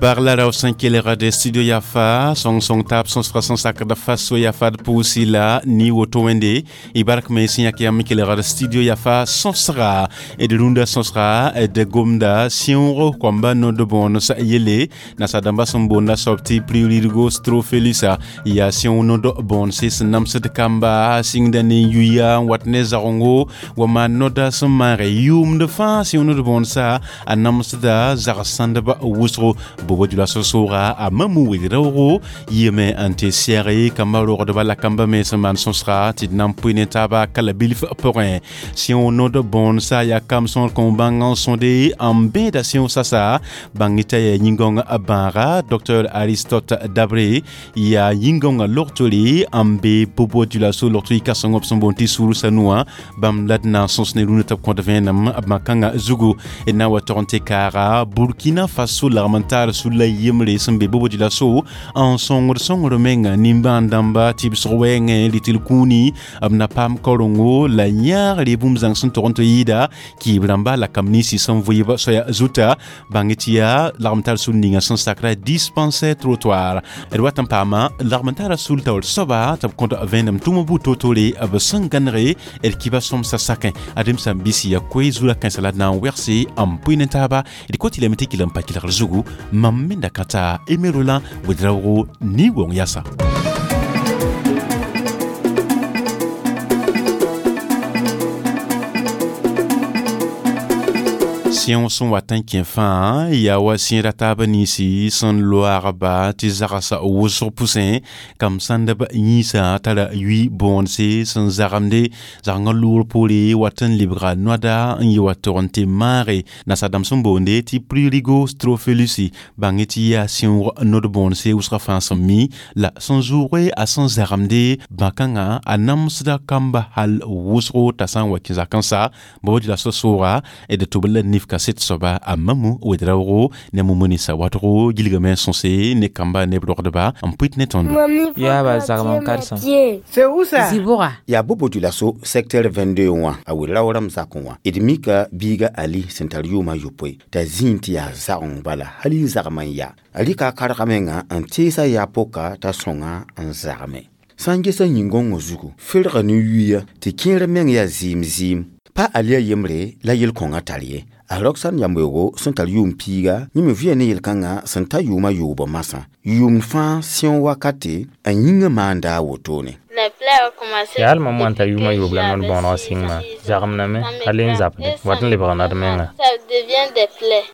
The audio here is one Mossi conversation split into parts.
Bagla raw sẽn kelgd studio Yafa sõng-sõng taab sõsga sẽn sakd faso Yafa d pʋʋsi la ni woto wẽnde y bark me sẽn yãk yãmb kelgd studio Yafa sõsga d rũndã sõsga d gomda sẽoog koamba nod bõones yelle nasadãmba sẽn boonda soab tɩ prurigo strophélus yaa sẽoog nod bõonse sẽn namsd kamba sɩngda ne yuya n wat ne zagengo wa maan noda sẽn maage yʋʋmd fãa sẽoog nod bõonsa a namsda zags-sãndb wʋsgo Bobo Dioulasso sooga a mamu wed-raoogo yɩɩme n tɩ sɛge kambã rogdba la kambã me sẽn maan sõsga tɩ d na n pʋɩ ne taaba kala bilf pʋgẽ sẽoog nod bõonsa yaa kam sõor kõn bãng n sõde n bẽeda sẽoog sasa bãng t'a yaa yĩn-gãong bãaga Dr Aristote Dabré yaa yĩn-gãongã logtore n be Bobo Dioulasso logto yɩ kãseng b sẽn boond tɩ sũur sanuwã bãmb la d na n sõs ne rũnã tɩ b kõt vẽenem bã-kãngã zugu d na n wa tog n tɩ kaaga Burkina Faso lagm n taar sulla yembre sẽn be Bobo Dioulasso n sõngd sõngr menga nimbãan dãmba tɩbsg wɛɛngẽ rɩtl kũuni b na paam kaorengo la yãagre bũmb zãng sẽn tog n tɩ yɩɩda kɩɩb rãmba la kamb ninsi sẽn vɩɩb soaya zuta bãng tɩ yaa lagm tar sul ninga sẽn sakra dispensaire trottoir d wat n paama lagm n tara sul taoor soaba tɩ b kõt vẽenem tʋm bu to-tore b sẽn gãnege d kiba sõmsa sakẽ adem sã n bisi ya koe zura kãensã la d na n wegse n pʋɩ ne taaba d kot tɩ lame tɩ kɩl n pa kelgr zugu mam me da ka taa Aimé Roland Ouedraogo ni wong yasa. Sẽog sẽn wat n kẽ fãa yaa wa sẽeda taab ninsi sẽn loagba tɩ zagsa wʋsg pʋsẽ kam sãndb yĩnsã tara yui bõonse sẽn zagemde zagengã loor poore wat n lebga noada n yɩ wa tog n tɩ maage nasadãmb sẽn boonde tɩ prurigo strophélus bãng tɩ yaa sẽoog nod bõonse wʋsgã fãa sẽn mi la sẽn zʋʋge a sẽn zagemde bã-kãngã a namsda kamba hal wʋsgo t'a sã n wa kẽ zakẽ sa Bobo Dioulasso sooga d tʋb la nif kaset soaba a mamu wed-raoogo ne mumuni sa watgo gilgame sõse ne kamba ne b rogdba n pʋɩt ne tõndo yaa ba zagem n karsem. C'est où ça? Zɩbʋga. Yaa Bobo Dioulasso secteur 22 wã a wed-raoorame zakẽ wã d mika biiga Ali sẽn tar yʋʋmã yopoe t'a zĩig tɩ yaa zageng bala hal y zagem n yaa a rɩka a karga menga n teesa yaa poka t'a sõnga n zagme sã n gesa yĩn-gõngã zugu ferga ne yuya tɩ kẽer meng yaa zɩɩm zɩɩm pa Ali a yembre la yel-kõngã tar ye a Roxane yambeoogo sẽn tar yʋʋm piiga yẽ me vɩa ne yel-kãngã sẽn ta yʋʋmã yoobo masã yʋʋmd fãa sẽog wakate n yĩngã maanda a wotone. Yaa hal mam wã n tar yʋʋmã yoob la nod bõoneg sɩngmã zagemdame hal n zabde wat n lebg nod menga.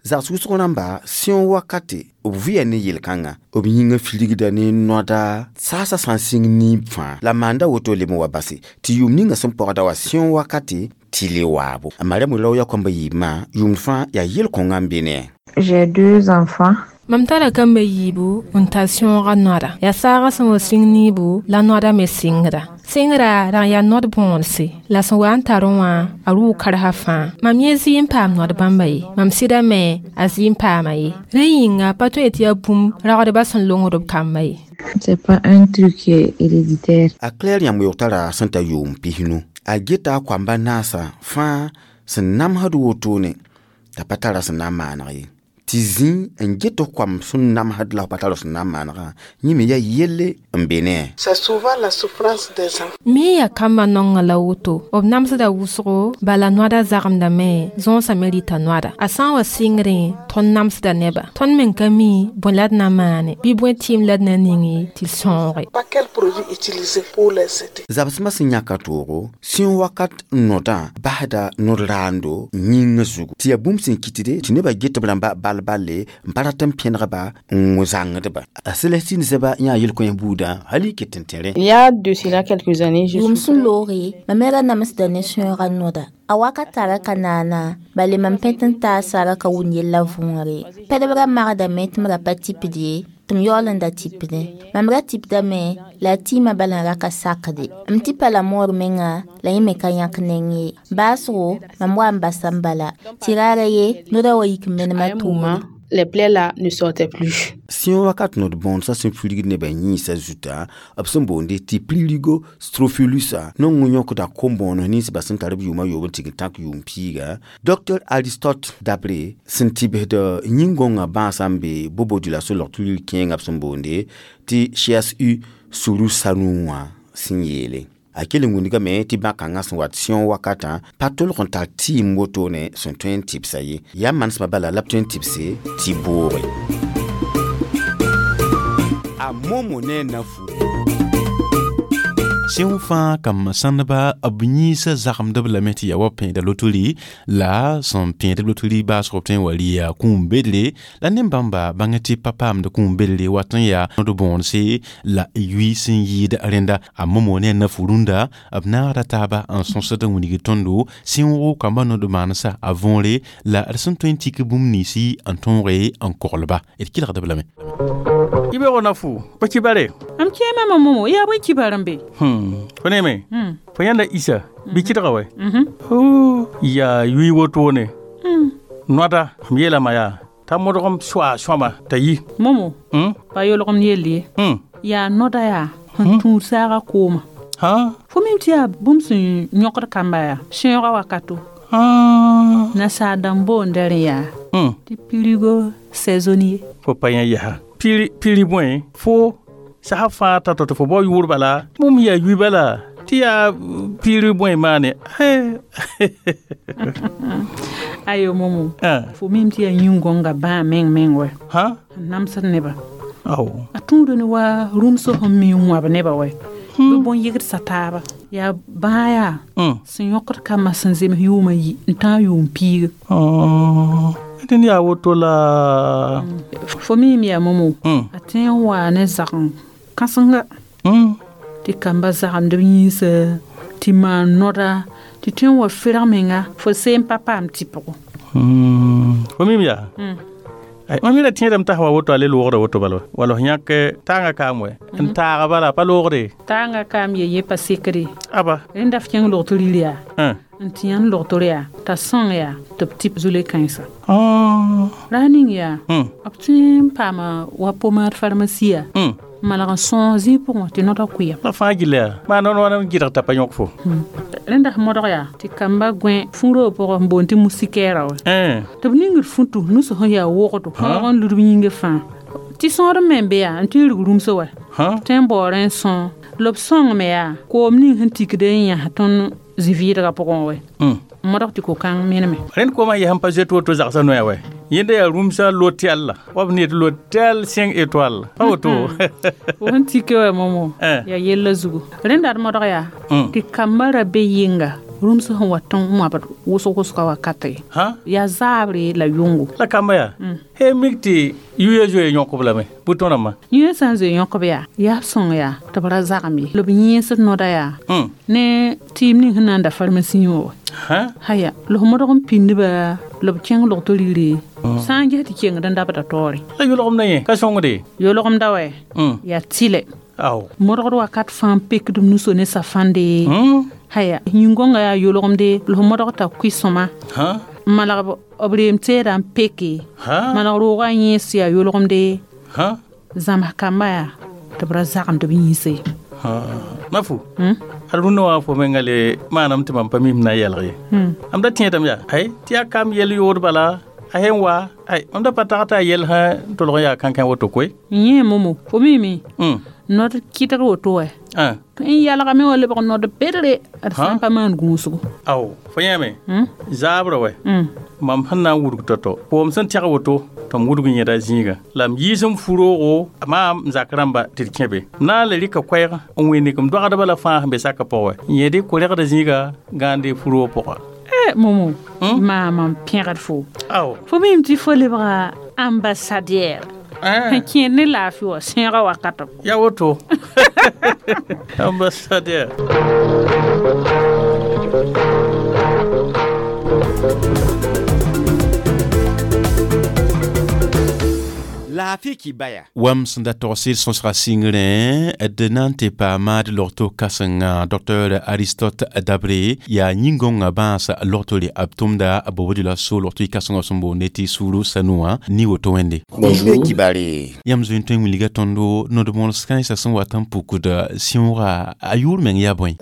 Zags wʋsg rãmba sẽog wakate b vɩa ne yel-kãngã b yĩngã firgda ne noada saasã sã n sɩng niib fãa la maanda woto leb n wa base tɩ yʋʋm ninga sẽn pɔgda wa sẽog wakate tɩ le waabo a Mariam rao ya kõmba yiibmã yʋʋmd fãa yaa yel-kõngã n be ne. J'ai deux enfants. Mam tara kambã yiibu n tar sẽoogã noada yaa saagã sẽn wa sĩng niibu la noada me sɩngda sɩngra rag yaa nod bõonse la sẽn wa n tarẽ wã a rʋʋ karsa fãa mam yẽ zɩ n paam nod bãmba ye mam sɩda me a zɩ n paama ye rẽ yĩnga pa tõe tɩ yaa bũmb ragdbã sẽn longd b kamba ye. C'est pas un truc qui est héréditaire. A Claire yãmb tara sẽn ta yʋʋm pisnu a geta a koamba naasã fãa sẽn namsd wotone t'a pa tara sẽn na n maaneg ye tɩ zĩ n get koam sẽn namsd la pa tara sẽn na n maanegã yẽ me yaa yelle n be ne. C'est souvent la souffrance des enfants. Me yaa kambã nongã la woto b namsda wʋsgo bala noada zagemdame zõosã me rɩta noada a sã n wa sɩngrẽ tõnd namsda neba tõnd me ka mi bõe la d na n maane bɩ bõe tɩɩm la d na ningi tɩ d sõoge. Pas quel produit utiliser pour les aider. Zabsmã sẽn yãka toogo sẽog wakat nodã basda nod raando yĩngã zugu tɩ yaa bũmb sẽn kɩtde tɩ nebã get b rãmba bal balle n pa rat n pẽnegba n zãngdba a Celestine zɛba yã yel-kõ buudã hal y ket n tẽrẽ. Il y a de cela quelques années, je Yʋʋm sẽn looge mam me ra namsda ne sẽoogã noda a wakat tara ka naana bale mam pẽ tɩ n taasa ra ka wʋn yella võore pɛdb ra magdame tɩ m ra pa tipd ye tɩ m yaool n da tipdẽ mam ra tipdame la a tɩɩmã bala n ra ka sakde m tipa la moor menga la yẽ me ka yãk neng ye baasgo mam wa n basa n bala tɩ raara ye noda wa yik n menemã À un toore. moment, Les plaies là ne sortaient plus. Sẽn wakat nod bõodsã sẽn fulgd nebã yĩnsã zuta, b sẽn boonde tɩ prurigo strophilusa nong n yõkda kom-bõoneg nins ba sẽn tar b yʋʋma yoob n tɩg n tãk yʋʋm piiga. Dr Aristote Dabre sẽn tɩbsd yĩn-gõngã bãasã n be Bobo-Dioulasso log-tɩ kẽengã b sẽn boonde tɩ CHU Suru Sanu wã sẽn yeele. A kell n wingame tɩ bã-kãngã sẽn wat sẽog wakatã pa tolg n tar tɩɩm wotone sẽn tõe n tɩbsa ye. Yaa manesmã bala la b tõe n tɩbse tɩ booge. A momo ne nafu. Sẽn fãa kam sãndba b yĩnsã zagemdb lame tɩ yaa wa pẽeda lotori la sẽn pẽed lotori baasg b tõe n wa rɩ yaa kũum bedre la nen-bãmba bãng tɩ pa paamd kũum bedre wat n yaa nod bõonse la yui sẽn yɩɩd rẽnda a momo ne a nafu rũndã b naagda taaba n sõsd n wilg tõndo sẽoogo kambã nod maansa a võore la d sẽn tõe n tik bũmb ninsi n tõoge n koglba d kelgdb lame. Ibe nafu pa kibare. Am kema momo ya bõe kibar n be? Fo neme fo yãnda isa bɩ kɩdga wɛ yaa yui wotone noada m yeelame yaa t'a modgem soa sõama t'a yi. Momo pa yolgem yell ye. Yaa noda yaa sẽn tũud saaga kooma. Fo mim tɩ yaa bũmb sẽn yõkd kamba yaa sẽoogã wakato. Nasaar dãmb boonda rẽ yaa tɩ prurigo saisonnier. Fo pa yã yaa piri bõe fo sasa fãa t'a tɩ fo bao yʋʋr bala bũmb yaa yui bala tɩ yaa piri bõe maane. Ayo momo fo mim tɩ yaa yĩn-gõnga bãa meng meng wɛ n namsd nebã. A tũud ne wa rũmsg sẽn mi n wãb nebã wɛ bɩ bõn-yɩgd taaba yaa bãa yaa sẽn yõkd kambã sẽn zems yʋʋmã yi n tãag yʋʋm piiga. Dẽnd yaa woto la fo mim yaa momo a tõe n waa ne zagem kãsenga tɩ kamba zagemd b yĩnsa tɩ maan noda tɩ tõe n wa ferg menga fo seen pa paam tɩpgo. Fo mim yaa mam yẽla tẽedame t'a wa woto a le loogda woto bala wala f yãk tãangã kaam wɛ n taaga bala pa loogde. Tãangã kaam ye yẽ pa sekre. Aba rẽnda f kẽng log tɩ rɩl yaa n tɩ yãnd logtr yaa t'a sõng yaa tɩ b tɩp zule kãensa. Ra ning yaa b tõe n paama wa pomad farmasiya malg n sõog zĩig pʋgẽ tɩ noda kʋɩam. La fãa gilla yaa maa nod wãn n gɩdg t'a pa yõk fo. Rẽnda f modg yaa tɩ kamba gõe fũ-roog pʋgẽ n boond tɩ musikɛɛra wɛ tɩ b ningd fũtu nus sẽn yaa wogdo fãoog n lud b yĩngã fãa tɩ sõor me n be yaa n tɩ n rig rũmsã wɛ tõe n baoorẽ n sõog la b sõngme yaa koom ning sẽn tikd n yãs tõnd zĩ-vɩɩdgã pʋgẽ wɛ modg tɩ ko-kãng meneme. Rẽnd koomã yɛsẽn pa zoet woto zagsã noya wɛ yẽnda yaa rũmsã lotel la wa b need lotel 5 étoiles pa woto. Fo sẽn tike wɛ momo yaa yella zugu rẽnda d modg yaa tɩ kambã ra be yɩnga rũms sẽn wa tɩ n wãbd wʋsg-wʋsga wakate yaa zaabre la yʋngo. La kamba yaa he mik tɩ yuya zoe yõkb lame bʋ tõdãmbã. Yũyã sã n zoe yõkb yaa yaa b sõng yaa tɩ b ra zagem ye la b yẽesd noda yaa ne tɩɩm ning sẽn na n da farmasi wã haya la f modg n pĩndba la b kẽng log tɩ rɩre sã n ges tɩ kengd n dabda taoore. La yolgem na yẽ ka sõngde. Yolgemda wɛ yaa tɩlɛ modgd wakat fãa n pekd b nuso ne safãnde haya yĩn-gõngã yaa yolgemde la f modg t'a kʋɩ sõma n malg b reem teedã n peke malg roogã yẽes yaa yolgemde zãms kambã yaa tɩ b ra zagemd b yĩnse. Nafu ad rũndã wã fo menga le maanam tɩ mam pa mim na n yɛlg ye am da tẽedame yaa ay tɩ yaa kam yɛl yood bala a sẽn wa ay mam da pa tag t'a yɛl sã n tolg n yaa kãnkã woto koe. Yẽ momo fo mime nod kɩtg woto wɛ tõe n yalgame wa lebg nod bedre d sã n pa maan gũusgo. Ao fo yãame zaabrã wɛ mam sẽn na n wudg tao-tao koom sẽn tɛg woto tɩ m wudg yẽda zĩigã la m yiis m fu-roogo maam n zak rãmba tɩ d kẽ be na n le rɩka koɛɛg n wẽneg m dogdbã la fãa sẽn be sakã pʋgẽ wɛ n yẽde koregda zĩiga gãande fu-roog pʋga. Momo maam n pẽgd fo fo mim tɩ fo lebga ambassadeur sẽn kẽed ne laafɩ wã sẽegã wakato. Ya woto ambassadeur. La Laafɩ kibaya. Wam sẽn da togsd sõsga sɩngrẽ d na n tɩ paama d logto kãsenga Dr Aristote Dabre yaa yĩn-gõngã bãas logtore b tʋmda b bobd la so logto y kãsengã sẽn boonde tɩ suru sanuwã ni woto wẽnde. Bonjour. Kibare. Yãmb zoe n tõe n wilga tõndo nod-mols kãensã sẽn wat n pukd sĩooga a yʋʋr meng yaa bõe?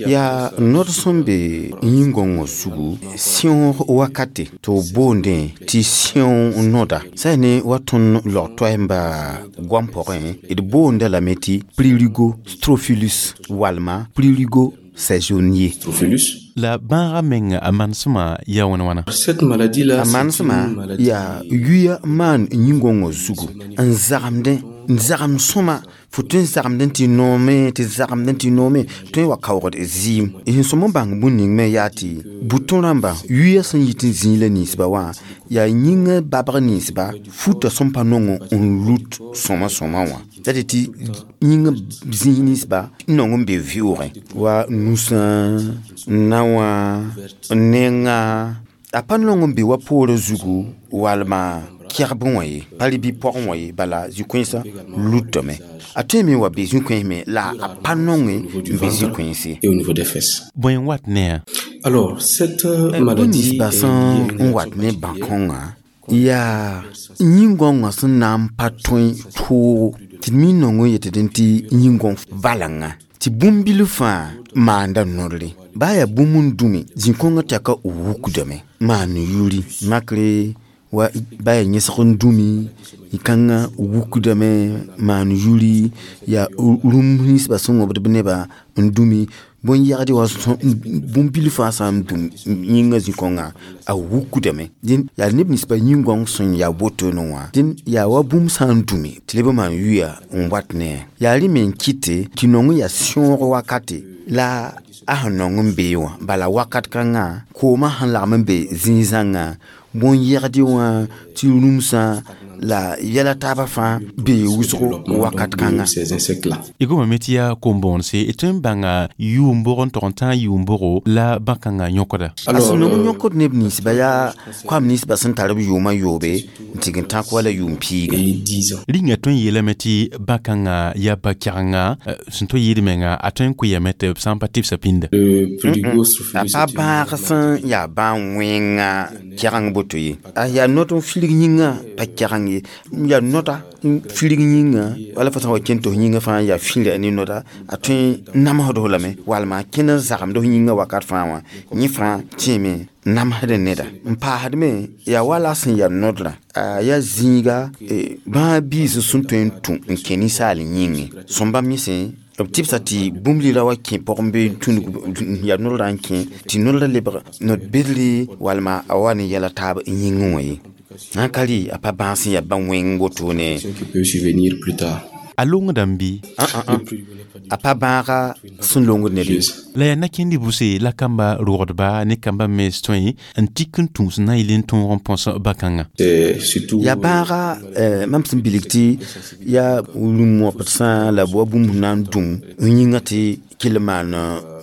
Yaa nod sẽn be yĩn-gõngã zugu sẽoog wakate tɩ b boondẽ tɩ sẽoog noda sã ne wa tõnd log toɛɛmba goam pʋgẽ d boonda lame tɩ prurigo strophilus walma prurigo saisonnier. La bãagã meng a manesmã yaa wãn wãna? A manesmã yaa yuya maan yĩn-gõngã zugu n zagemdẽ n zagem sõma fo tõe n zagemdẽ tɩ noome tɩ zagemdẽ tɩ noome tõe n wa kaoogd zɩɩm sẽn sõm n bãng bũn ning me yaa tɩ bʋ rãmba yuya sẽn yit n zĩig la ninsba wã yaa yĩngã babg ninsba futa sẽn pa nong n lut sõma sõma wã tɩ tɩ yĩngã zĩig ninsba n nong n be vɩʋʋgẽ wa nusã naowã nenga a pa nong n be wa poorã zugu walma kɛgb wã ye pa rɩ pɔgẽ wã ye bala zĩ-kõensã lutame a tõe me wa be zĩ-kõens me la a pa nonge n be zĩ-kõense. Bõe n wat ne a? Alors, cette Bũmb maladie ninsba sẽn n wat ne bãkõngã yaa yĩn-gõngã sẽn na n pa tõe toogo tɩ d mi nong n yetd tɩ yĩn-gõng valengã tɩ bũmb-bil fãa maanda nodre baa yaa bũmb n dũme zĩ-kõngã tɛka wukdame maan yuri makre wa ba yaa yẽsg n dũmi kãngã wukdame maan yuri yaa rũmb ninsba sẽn wõbd b nebã n dũmi bõn-yɛgd wã bũmb-bil fãa sã n dũm yĩngã zĩ-kõngã a wukdame dẽn yaa neb ninsba yĩn-gõng sẽn yaa wotone wã dẽn yaa wa bũmb sã n dũme tɩ leb n maan yuya n wat ne yaa rẽ me n kɩte tɩ nong n yaa sẽoog wakate la a sẽn nong n bee wã bala wakat kãngã koomã sẽn lagm n be zĩig-zãngã bõn-yɛgd wã tɩ rũmsã la yɛla taabã fãa bee wʋsgo wakat kãnga. Ces insectes-là. Y gomame tɩ yaa kom-bõonse d tõe n bãnga yʋʋm-bʋg n tog n tãag yʋʋm-bʋgo la bã-kãngã yõkda. A sẽn nong n yõkd neb ninsba yaa koam ninsba sẽn tar b yʋʋmã yoobe n tɩg n tãk wala yʋʋm piiga. Rĩngã tõe n yeelame tɩ bã-kãngã yaa ba-kɛgenga sẽn tõe yɩɩd menga a tõe n kʋɩyame tɩ b sã n pa tɩbsa pĩnda. A pa bãag sẽn yaa bãn-wẽnga kɛgeng boto ye a yaa nod n filg yĩngã pa kɛgeng ye yaa noda n filg yĩngã wala fo sã n wa kẽn tɩ f yĩngã fãa yaa fĩra ne noda a tõe n namsd f lame walma a kẽnd n zagemd f yĩngã wakat fãa wã yẽ fãa tẽeme namsd neda n paasd me yaa wala sẽn yaa nodrã a yaa zĩiga bãag biis sẽn tõe n tũ n kẽ ninsaal yĩngẽ sõmba misẽ b tɩbsa tɩ bũmb lila wa kẽ pʋgẽ bɩ tũnug yaa nodrã n kẽ tɩ nodrã lebg nod-bedre walma a wa ne yɛla taab yĩngẽ wã ye sã n ka rɩ a pa bãag sẽn yaa bã-wẽng wotone. A longdame bɩ? A pa bãaga sẽn longd ned ye. La yaa nakẽnd buse la kamba rogdba ne kamba mens tõe n tik n tũus na n yɩl n tõog n põs bã-kãngã. Yaa bãaga mam sẽn bilg tɩ yaa rũm-wõpd sã la b wa bũmb na n dũm n yĩngã tɩ kell maan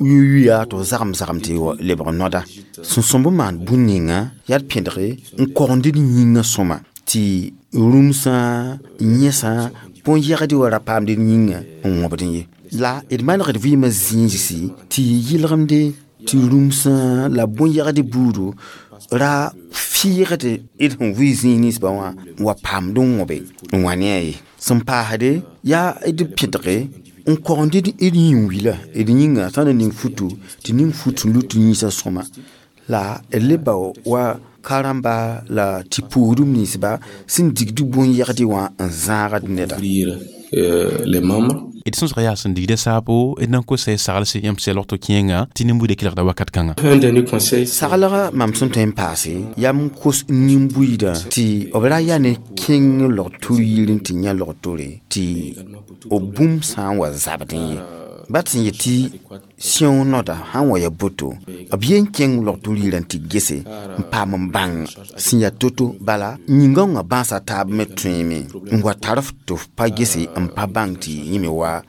yuya tɩ f zagem zagem tɩ lebg noda sẽn sõmb n maan bũn ninga yaa d pẽdge n kogend d yĩngã sõma tɩ rũmsã yẽsã bõn-yɛgd wa ra paamd d yĩngã n wõbd ye la d manegd vɩɩmã zĩigsi tɩ yɩlgemde tɩ rũmsã la bõn-yɛgd buudo ra fɩɩgd d sẽn vɩ zĩig ninsba wã wa paamd n wõbe n wã ne a ye sẽn paasde yaa d pẽdge n kogend d yĩn-wila d yĩnga sã n na ning futu tɩ ning fut n lut yĩnsã sõma la d le bao wa ka-rãmba la tɩ puudum ninsba sẽn digd bõn-yɛgd wã n zãagd neda. D sõsga yaa sẽn digda saabo d na n kosa y saglse yãmb sɛ logto kẽenga tɩ nin-buudã kelgda wakat kãnga. Saglga mam sẽn tõe n paase yaa m kos nin-buiidã tɩ b ra yaa ne kẽng log-tur yir n tɩ yã log-tore tɩ b bũmb sã n wa zabdẽ ye bat sẽn yet tɩ sẽoog noda sã n wa yaa boto b yen kẽng log-tur yirã tɩ gese n paam n bãng sẽn yaa to-to bala yĩngãongã bãasa taab me tõeeme n wa tar f tɩ f pa gese n pa bãng tɩ yẽ me wa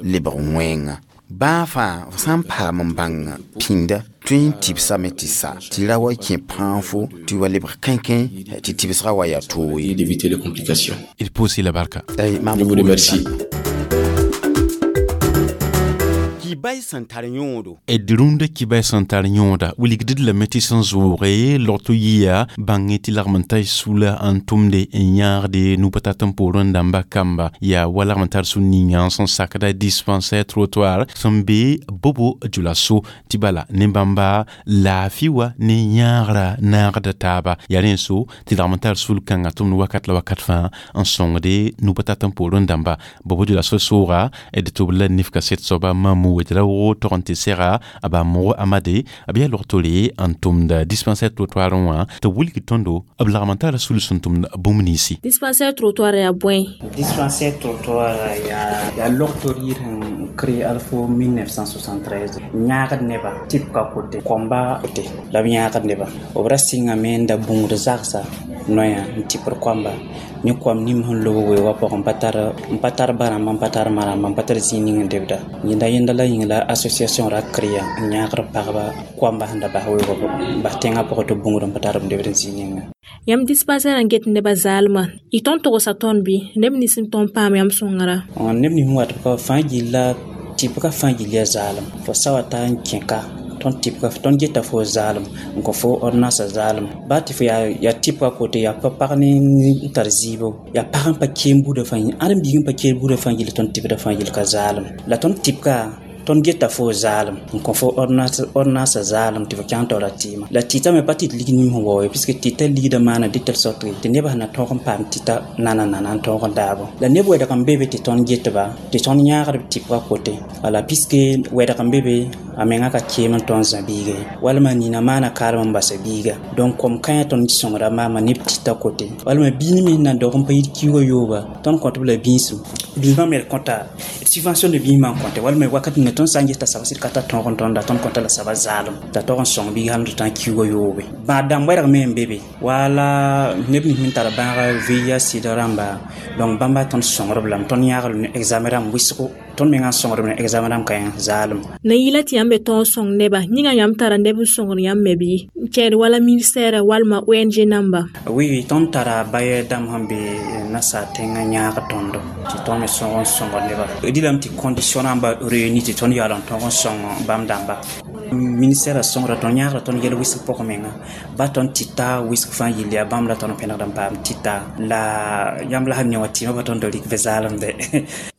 lebg wẽnga. Baa fãa f sã n paam n bãng pĩnda tõe n tɩbsame tɩ sa tɩ ra wa kẽ pãag fo tɩ wa lebg kẽnkẽ tɩ tɩbsgã wa yaa toog ye. D'éviter les complications. D pʋʋs-y la barka. Je vous remercie. Kibay sẽn tar yõodo. D rũndã kibay sẽn tar yõoda wilgd lame tɩ sẽn zʋʋge logto yia bãng tɩ lagm n tar sula n tʋmde n yãagde nu-pa-tat n poorẽ dãmba kamba yaa wa lagm n tar sũ ninga sẽn sakda dispensaire trottoir sẽn be bobo djulaso tɩ bala ne bãmba laafɩ wa ne yãagrã naagda taaba yaa rẽ so tɩ lagm n tar sul kãngã tʋmd wakat la wakat fãa n sõngde nu-pa-tat n poorẽ dãmba bobo djulaso sooga d tʋb la nifka set soaba mamu wed-raoogo tog n tɩ sega a ba mogo amade b yaa log-tore n tʋmd dispensaire trottoir wã tɩ b wilg tõndo b lagm n tara sul sẽn tʋmd bũmb ninsi. Dispensaire trottoir yaa bõe? Dispensaire trottoir yaa log-tor yir sẽn créé alfo 1973 yãagd neba tɩp ka kote koamba kote la b yãagd neba b ra sɩngame n da bũud zagsa noya n tɩpd koamba ne koam nim sẽn lob weoogã pʋgẽ n pa tar ba-rãmba n pa tar ma-rãmba n pa tar zĩig ning n debda yẽnda yẽnda la yĩng la association ra créa n yãagd pagba koamba sẽn da bas weoogã pʋgẽ n bas tẽngã pʋgẽ tɩ bũud n pa tar b debd zĩig ninga. Yãmb dispensaire n get nebã zaalmã y tõnd togsa tõnd bɩ neb nins n tõnd paam yãmb sõngera? Neb nins wat ka fãa gilla tɩpga fãa gill yaa zaalem fo sa wa ta n kẽka tõnd tɩpga tõnd geta fo zaalem n kõ fo ordonnance zaalem baa tɩ fo yaa tɩpga kote yaa pa pag ne n tar zɩɩbo yaa pag n pa keen buudã fãa ãdem biig n pa keen buudã fãa gill tõnd tɩpda fãa gill ka zaalem la tõnd tɩpga tõnd geta fo zaalem n kõ fo ordonnance zaalem tɩ fo kẽng taoora tɩɩmã la tɩta me pa tɩ d lig nim sẽn wao ye puisque tɩta ligdã maana de telle sorte tɩ nebã sẽn na tõog n paam tɩta nana n tõog n daabo la neb wɛdg n be be tɩ tõnd getba tɩ tõnd yãagd b tɩpga kote wala puisque wɛdg n be be a menga ka keem n tõnd zã biiga ye walma nina maana kaalem n basa biiga donc kom kãyã tõnd sõngra maama neb tɩta kote walma biig me sẽn na dog n pa yit kiuugã yooba tõnd kõt b la bĩisem biismã me d kõta subvention de biismã n kõte walma wakat ninga tõnd sã n ges t'a saba sɩd ka tar tõog n tõnda tõnd kõta la saba zaalem t'a tog n sõng biig hal tɩ tã kiuugã yoobe bãad dãmb wɛrg me n be be wala neb nins me tar bãaga VIH sida rãmba donc bãmba tõnd sõngrb lame tõnd yãagl ne examen rãmb wɩsgo tõnd mengã sõngrb ne examen rãmb ka yã zaalem. Na yɩla tɩ yãmb be tõog sõng neba yĩnga yãmb tara neb n sõngr yãmb me bɩ n kɛɛd wala ministère walma ONG namba? Oui, tõnd tara baye dãmb sẽn be nasaar tẽngã yãag tõndo tɩ tõnd me sõg n sõngr neba dɩlame tɩ condition rãmba réuni tɩ tõnd yaool n tõg n sõng bãmb dãmba ministère sõngra tõnd yãagra tõnd yɛl wɩsg pʋgẽ menga ba tõnd tɩta wɩsg fãa yill yaa bãmb la tõnd pẽnegd n paam tɩta la yãmb la sẽn ne wã tɩɩmã pa tõnd rɩk be zaalemde.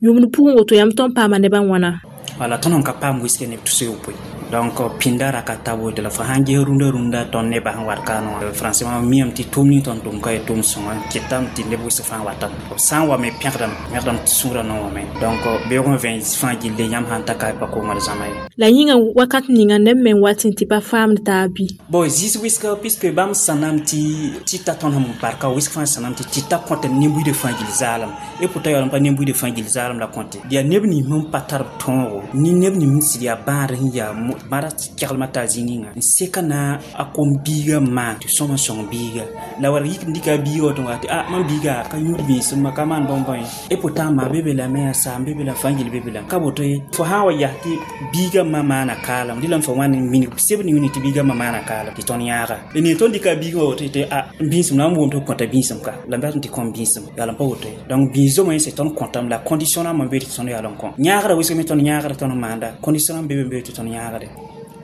Yũmd pʋgẽ woto yãmb tõnd paama nebã wãna? Wala tõnd sẽn ka paam wɩsg neb tus yopoe donc pĩnda ra ka ta woto la fo sãn ges rũndã rũndã tõnd nebã sẽn wat ka wã français wã miame tɩ tʋʋm ning tõnd tʋm ka yaa tʋʋm sõnga kɩtame tɩ neb wɩsg fãa watame b sã n wa me pẽgdame pẽgdame tɩ sũurã no wame donc beoog n vẽ fãa gilli yãmb sãn ta ka pa kongr zãma ye. La yĩnga wakat ninga neb me n wat n tɩ pa faamd taab bɩ? Bon zĩis wɩsga puisque bãmb sãnam tɩ tɩta tõnd sẽn barka wɩsg fãa sãnam tɩ tɩta kõte nin-buiidã fãa gill zaalem et pourtant yaool n pa nin-buiidã fãa gill zaalem la kõte yaa neb nins sẽn pa tar b tõogo ne neb nins sẽn sɩd yaa bãad sẽn yaa bãada keglmã t'a zĩ ninga n seka na a kom biigã maan tɩ sõm n sõng biiga la wala yik n dɩka a biiga woto tɩ a mam biiga ka yũud bĩisem ka maan bõn-bõe et pourtant ma be be lame yaa saam be be la fãa gill be be la ka woto ye fo sã n wa yaa tɩ biigã ma maana kaalem dɩlame fo wãn n minig seb ne wini tɩ biigã ma maana kaalem tɩ tõnd yãaga la ne tõnd dɩka a biigã woto tɩ a bĩisem na n wʋm tɩ b kõta bĩisem ka la m dat n tɩ kõm bĩisem yaa la n pa woto ye donc bĩis-zomã yẽ tõnd kõtame la condition rãmbã n be tɩ tõnd yaool n kõ yãagrã wɩsg me tõnd yãagrã tõnd maanda condition rãmb be be n be tɩ tõnd yãagde.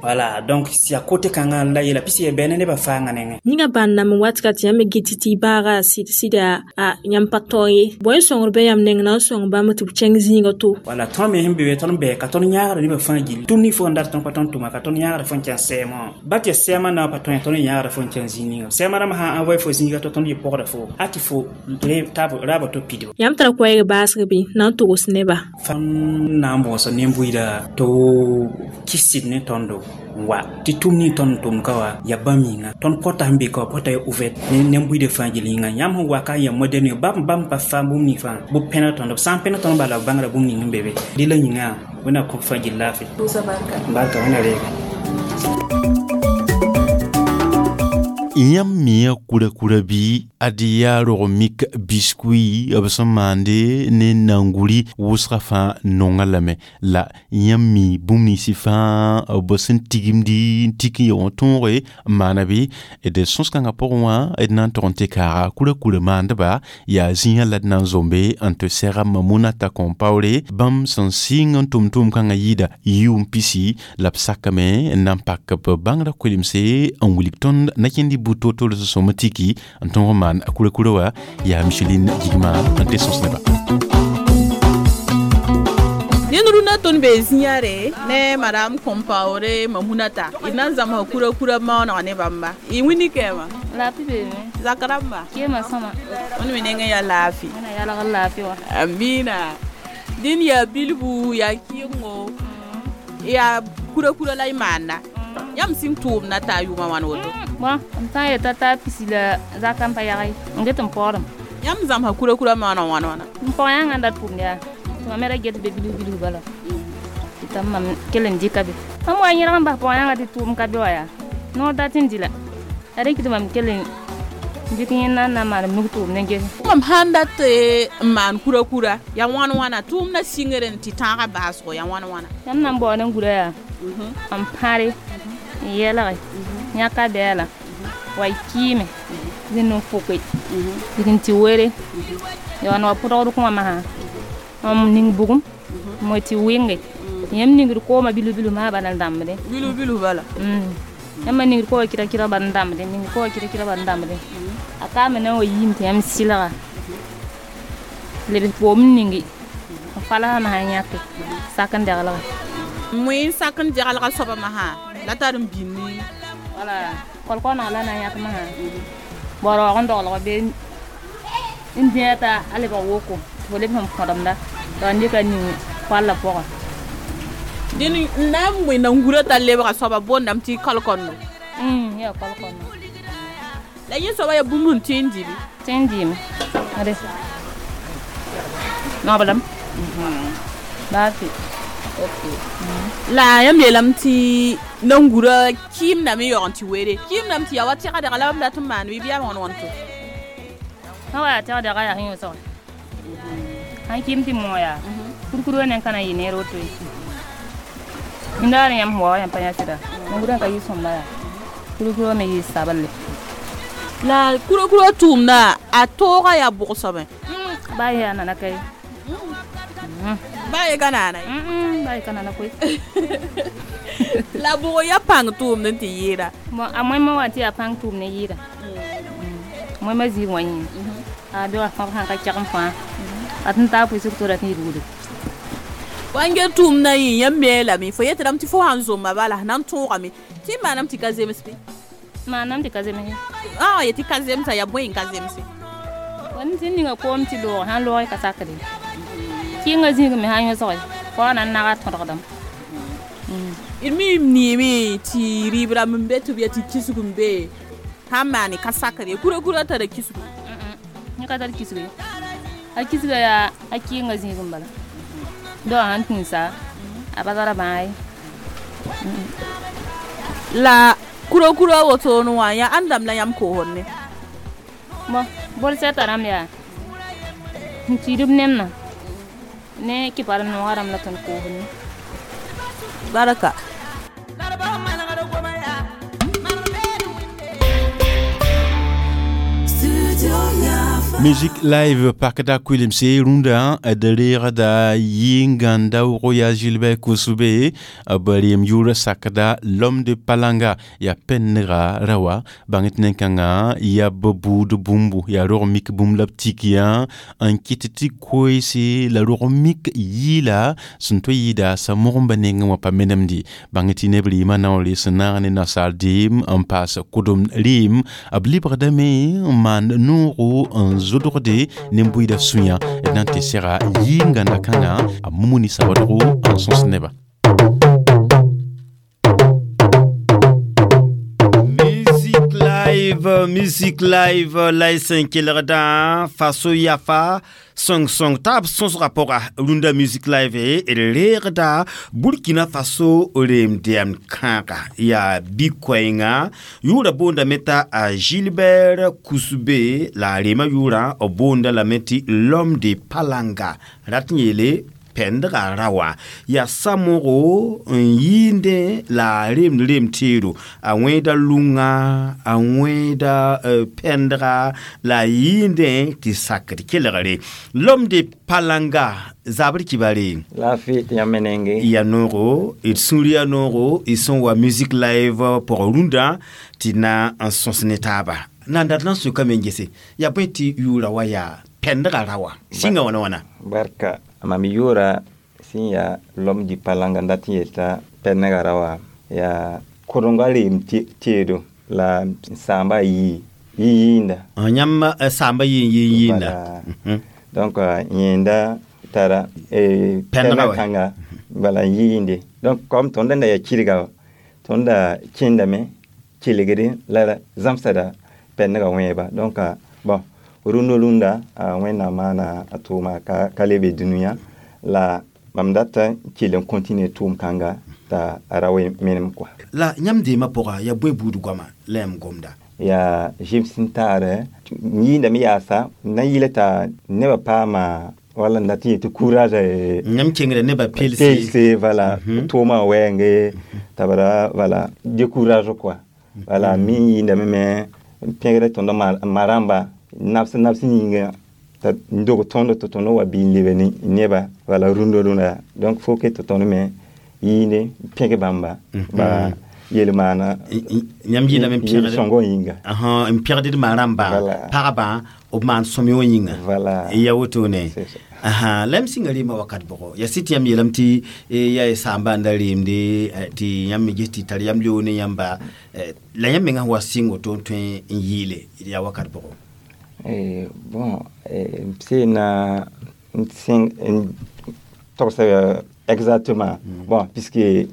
Voilà, donc si a côté kãngã la yela pis yaa bɛɛ nebã fãangã nengẽ. Yĩngã bãnd nam n wat ka tɩ yãmb me gɩt tɩ y baaga sɩd sɩda a yãmb pa tao ye bõe n sõngr bɩ yãmb neng na n sõng bãmb tɩ b kẽng zĩigã to. Wala tõnd me sẽn be be tõnd bɛɛ ka tõnd yãagrã nebã fãa gill tʋm ning fo n dat tõnd pa tõnd tʋma ka tõnd yãagrã fo n kẽn sɛɛmã wã ba tɩ sɛɛmã na pa tõe tõnd yãagrã fo n kẽn zĩig ninga sɛɛmã rãmb sã n envoye fo zĩiga to tõnd yɩ pɔgda fo a tɩ fo raaba to pidba. Yãmb tara koɛɛg baasg bɩ na n togs neba? Fãn na n bõosa nin-buiida tɩ kɩs sɩd ne tõndo wa tɩ tʋm ning tõnd tʋm ka wa yaa bãmb yĩnga tõnd pɔta sẽn be ka wa pɔta ya ouvert ne nin-buiidã fãa gill yĩnga yãmb sẽn wa ka n yaa moderne bãmb pa faam bũmb ning fãa bɩ pẽneg tõnd b sã n pẽneg tõnd bala b bãngra bũmb ning sẽn be be dɩ la yĩnga wẽnna kõ fãa gill laafɩ barka wẽnna reega. Yãmb mia kura-kura bɩ ad yaa rog-mik biskuit b sẽn maande ne nanguri wʋsgã fãa nonga lame la yãmb mi bũmb ninsɩ fãa b sẽn tigimdi n tik n ya wã tõoge n maana bɩ d sõs-kãngã pʋgẽ wã d na n tog n tɩ kaaga kura-kura maandeba yaa zĩigã la d na n zombe n tɩ sɛga Mamunata Compaoré bãmb sẽn sɩng n tʋm tʋʋm-kãngã yɩɩda yʋʋm pisi la b sakame n na n pak b bãngrã kolemse n wilg tõnd na-kẽnd buto tol sõm tiki n tõog n maan kura-kura wa yaa Micheline Gigma n tɩ sõs neba. Ned rũndã tõnd bee zĩigã re ne madame Compaoré Mamunata d na n zãmsa kura-kura maooneg ne bãmba y wĩndi kɛɛmã laafɩ beeme zak rãmba kẽemã sõma wẽnd me nengẽ yaa laafɩ wẽna yalgr laafɩ wã amiina dĩn yaa bilfu yaa kɩɩngo yaa kura-kura la y maanda yãmb sĩng tʋʋmda t'a yʋʋmã wãn woto bõn m sã n yeta t'a pisi la zakã n pa yag n get n paoodem yãmb zãmsa kura-kura maooneg wãn wãna m pɔg-yãngã n da tʋʋmd yaa tɩ mam me ra get be bilf bilf bala tɩ t'a mam kell n dɩka be mam wa yẽlg n bas pɔg-yãngã tɩ tʋʋm ka be wa yaa noor dat n dɩ la a rɩk tɩ mam kell n dɩk yẽnda n na n maan m nug tʋʋmd n gese mam sãn dat n maan kura-kura yaa wãn wãna tʋʋmdã sɩngr n tɩ tãagã baasgo yaa wãn wãna yãmb na n baood n gura yaa n pãre n yɛlge yãka bɛɛla wa y kɩɩme zĩnd n foke dɩk n tɩ were ya wa pʋdgd kõa masã n ning bugum mo tɩ wɩnge yãmb ningd koomã bilf bilf masã bala n dãmbdẽ bilf bilf bala yãmb ningd koowã kɩra kɩra bala n dãmbdẽ ning koowã kɩra kɩra bala n dãmbdẽ a kaame na n wa yiim tɩ yãmb sɩlga lebs koom n ningi n falsã masã n yãke sak n degelga moe n sak n degelga soaba masã la tar n bĩnni wala kolkɔneg la na n yãk masã baroog n doglg be n dĩa t'a a lebg woko tɩ fo leb sẽn kõdemda tɩ n dɩka ning koalla pʋgẽ dẽn n na n moe nangurã t'a lebga soaba boondame tɩ kalkõndo yaa kalkõndo la yẽ soaba yaa bũmb sẽn tõe n dɩ bɩ tõe n dɩɩme ade noglem baa fɩ la yãmb yeelame tɩ nangurã kɩɩmdame n yaoog n tɩ were kɩɩmdame tɩ yaa wa tɛgdga la bãmb dat n maan bɩ bɩ yaa wãn wãn to sã wa yaa tɛgdga yaa sẽn yõsg sãn kɩɩm tɩ moog yaa kurkurã ne ka na n yɩ neer woto ye yĩndaar yãmb sẽn wa yãmb pa yã sɩda nangurã ka yɩ sõmba yaa kurkurã me yɩ sablle la kurkurã tʋʋmda a tooga yaa bʋg soabẽ baa yaa nana ka ye baa ye ka naana ye baa ye ka nana koe la bʋg yaa pãng tʋʋmd n tɩ yɩɩda bon a moẽmã wã tɩ yaa pãng tʋʋmd n yɩɩda moẽmã ziig wã yĩnga a be wa fãb sãn ka kɛgem fãa a tɩ n taa pʋɩsg to ra tɩ n rugde wãnge tʋʋmdã yẽ yãmb me lame fo yetɩdame tɩ fo sãn zomba bala na n tõogame tɩ y maaname tɩ ka zems bɩ maaname tɩ ka zemse a ye tɩ ka zemsa yaa bõe n ka zemse n tɩ ninga koom tɩ loog sãn loog ka sakde kɩɩngã zĩig me sãn yõsge fo na n naga tõdgdame d mi m neeme tɩ rɩɩb rãmb n be tɩ b ya tɩ kisg n be sãn maane ka sakr ye kura-kura tara kisgu yẽ ka tar kisg ye a kisga yaa a kɩɩngã zĩig n bala dao sãn tũusa a pa tara bãag ye la kura-kura wotone wã yaa ãndame la yãmb koosd ne bõn bol sɛta rãmb yaa n tiidb nemna ne kɩpar noogã rãmb la tõnd koosd ne baraka. Music live pakda kuilimse rũndã d reegda yɩ-gãnda wʋgo yaa Gilbert Koussoubé b reem yʋʋr sakda l'homme de Palanga yaa pɛnnega rawa bãng tɩ nen-kãngã yaa b buud bũmbu yaa rog mik bũmb la b tik yã n kɩt tɩ koeese la rog mik yɩɩla sẽn tõe yɩɩda sa-mogemba nengẽ wã pa menemde bãng tɩ neb rɩɩmã naoore sẽn naag ne nasaar deem n paas kʋdem rɩɩm b lebgdame n maan noogo n zodgde ne bʋɩda sũyã d na n tɩ sɛga yɩ-gãnda kãngã a mumuni sabadgo n sõs neba. Music live. Live, Music Live la y sẽn kelgdã Faso Yafa sõng-sõng taab sõsgã pʋga Rũndã Music Live d reegda Burkina Faso reem dɛɛmd kãaga yaa bi-koɛɛngã yʋʋra boondame t'a a Gilbert Koussoubé la a reemã yʋʋrã b boonda lame tɩ l'homme de Palanga rat n yeele pɛndga ra wã yaa sa-mogo n yɩɩndẽ la a remd rem teero a wẽeda lʋngã a wẽeda pɛndga la a yɩɩndẽ tɩ sakd kelgre l'homme de Palanga zabr kibare laafɩ tɩ yãmb me nenge ya noogo d sũur yaa noogo y sẽn wa Music Live pʋgã rũndã tɩ na n sõs ne taaba nan dat na n sʋkame n gese yaa bõe tɩ yʋʋra wa yaa pɛndga ra wã sĩnga wãna wãna barka mam yʋʋra sẽn yaa l'homme du Palanga n dat n yelta pɛndga ra wã yaa korenga reem teedo la sãamba yii yɩ-yɩɩnda yãmb sãamba yɩ n yɩ-yɩɩnda donc yẽnda tara pɛndga kãnga bala n yɩɩnde donc comme tõnd da yaa kɩrga tõnd da kẽndame kelgde la zãmsda pɛndga wẽeba donc bon rũndã rũndã a wẽnnaam maana a tʋʋma ka lebe dũniyã la mam data kell n continue tʋʋm kãnga t'a ra we menem kɔa la yãmb deemã pʋga yaa bõe buud goama la yãmb gomda yaa zɩm sẽn taare yĩindame yaasa n na n yɩla t'a nebã paama wala n dat n yetɩ courage yãmb kengda nebã pelse voilà tʋʋmã wɛɛnge t'a bara voilà décourage quoi voilà min yĩindame me n pẽgda tõnd ma rãmba nabs nabs yĩnga t'a n dog tõnd tɩ tõnd wa bɩ n lebe ne neba voilà rũndã rũndã donc fo ke tɩ tõnd me yĩinde n pẽg bãmba ba yel-maana yãmb yɩlame n yel-sõngõ yĩnga n pẽgd d ma rãmba pagba b maan sõmyõ yĩnga ya wotone la m sĩnga reemã wakat bʋgo ya sɩ tɩ yãmb yeelame tɩ yaa y saamba n da reemde tɩ yãmb me ges tɩ tar yam leoog ne yãmba la yãmb mengã wa sɩng woto n tõe n yɩɩle yaa wakat bʋgo bon m sẽn n togsa exactement bon puisque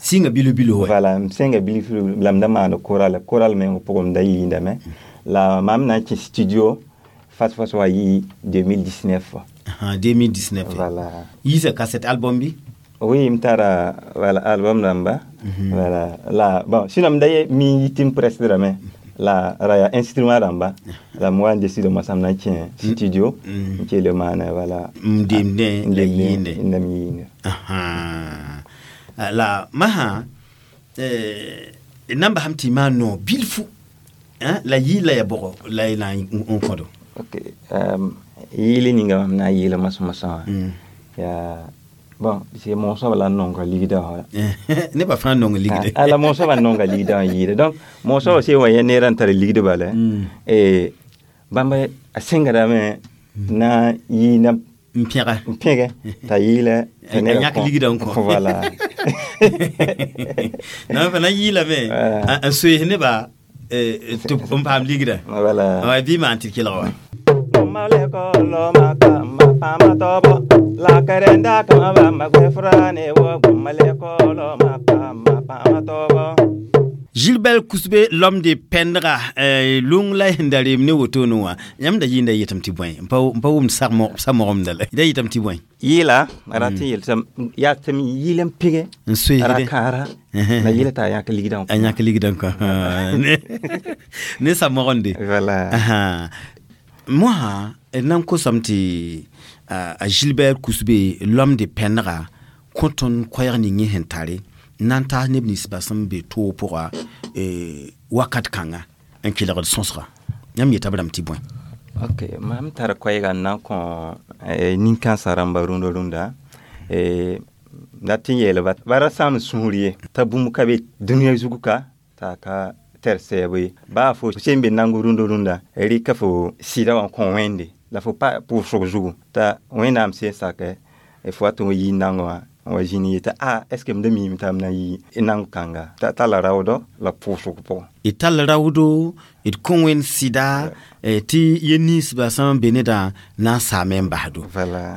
sĩnga bilo bilo voilà m sẽnga bilo bilo la m da maana choral choral meng pʋgẽ m da yɩɩndame la mam na n kẽ studio fas fas wa yɩ 2019 2019 voilà yiisa cassette album bi oui m tara voilà album rãmba voilà la bon sinon m da ye mi yɩ tɩ m presdrame la ra yaa instrument rãmba la m wa n décide moasã m na n kẽ studio n kell maana voilà n demdẽ la yɩɩnde n dam yɩɩnde la masã nan basam tɩ maan noog bilfu la yɩɩl la ya bʋgɔ la y na n kõdo ok yɩɩl ninga mam na n yɩɩla mosã wã yaa bon c'est moosã la n nonga ligdã wã nebã fãa nong ligde la moosã n nonga ligdã wã yɩɩda donc moosã wa sẽn wa yã neerã n tar ligd bala bãmb a sẽngdame na n yɩɩna n pẽga n pẽge t'a yɩɩla a yãk ligdã n kõ voilà na fa na yɩɩlame n soees nebã tɩ n paam ligdã voilà bɩ maan tɩ d kelg wa La karenda kama ba magwe frane wo gumale kolo ma pa ma pa ma tobo Gilbert Koussoubé l'homme de Pendra lũng la sẽn da reem ne wotone wã yãmb da yɩɩnda yetame tɩ bõe n pa wʋmd sa-mogomda la da yetame tɩ bõe yɩɩla a rat n yel yaa tɩ m yɩɩl n pɩge n soeesde ra kãara la yɩla t'a yãk ligdã a yãk ligdã kõ ne sa-mogende voilà moasã d na n kosame tɩ a Gilbert Koussoubé l'homme de Pendra kõ tõnd koɛɛg ning yẽ sẽn tare n na n taas neb ninsbã sẽn be toog pʋga wakat kãnga n kelgd sõsga yãmb yeta b rãmb tɩ bõe ok mam tar koɛɛga n na n kõ nin-kãensã rãmba rũndã rũndã dat n yeelba ba ra sãam sũur ye t'a bũmb ka be dũniyã zugu ka t'a ka tɛr sɛɛbo ye baa fo sẽn be nango rũndã rũndã rɩka fo sɩda wã n kõ wẽnde la fo pa pʋʋsg zugu t'a wẽnnaam sẽn sakɛ fo wa tɩ yɩ nango wã n wa zĩni yetɩ a est ce que m da miime t'a m na yɩ nango kãnga t'a la raoodɔ la pʋʋsg pʋgẽ D tall raoodo, d kõ wẽnd sɩda tɩ yel-ninsbã sẽn be nedã na n saame n basdo.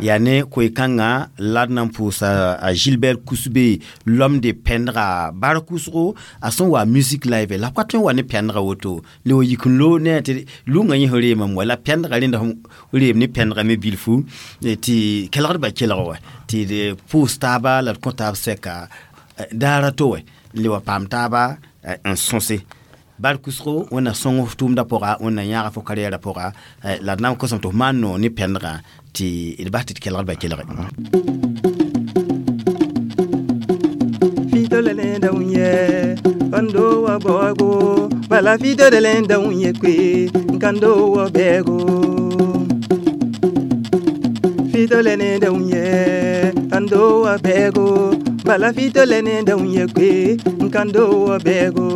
Yaa ne koe-kãngã la d na n pʋʋsa a Gilbert Kusbe l'homme de pɛndga bar kʋsgo a sẽn wa musique live la b ka tõe n wa ne pɛndga woto le wa yik n loog ne tɩ lʋngã yẽ sẽn reemame wa la pɛndga rẽnda sẽn reem ne pɛndga me bilfu tɩ kelgdbã kelg wa tɩ d pʋʋs taaba la d kõ taab sɛka daara to wɛ le wa paam taaba n sõse bar kʋsgo wẽnna sõng f tʋʋmdã pʋga, wẽnna yãaga fo karɩyɛɛrã pʋga la d na n kosame tɩ f maan noor ne pɛndgã tɩ d bas tɩ d kelgdbã kelge. Kando wa bogo bala fito de lenda unye kwe kando wa bego fito lene unye kando wa bego bala fito lene unye kwe kando wa bego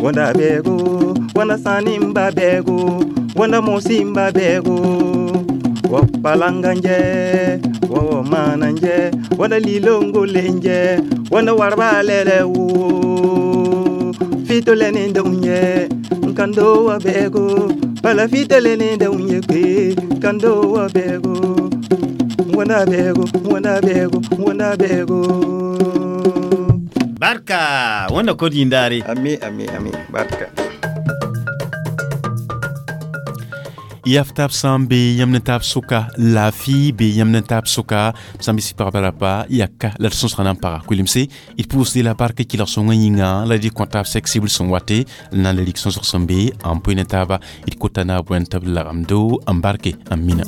wanda bego wanda sanimba bego wanda mosimba bego wa palanganje wa mananje wanda lilongo lenje wanda warba lele wo fito lene unye kando wa bego bala fito lene unye kwe kando wa bego wanda bego wanda bego wanda bego. Barka wanda kod yindare. Ami ami ami barka. Yaftab sã n be yãmb ne taab sʋka laafɩ be yãmb ne taab sʋka sã n be sɩ pagba yaka la d sõsga na n paga koelemse d pʋʋsde la bark kelg sõngã yĩnga la d kõ taab sɛk sibr sẽn wate n na n le rɩk sõsg sẽn be n poe ne taaba d kota naab wẽnd tɩ b lagemdo n barke n mina.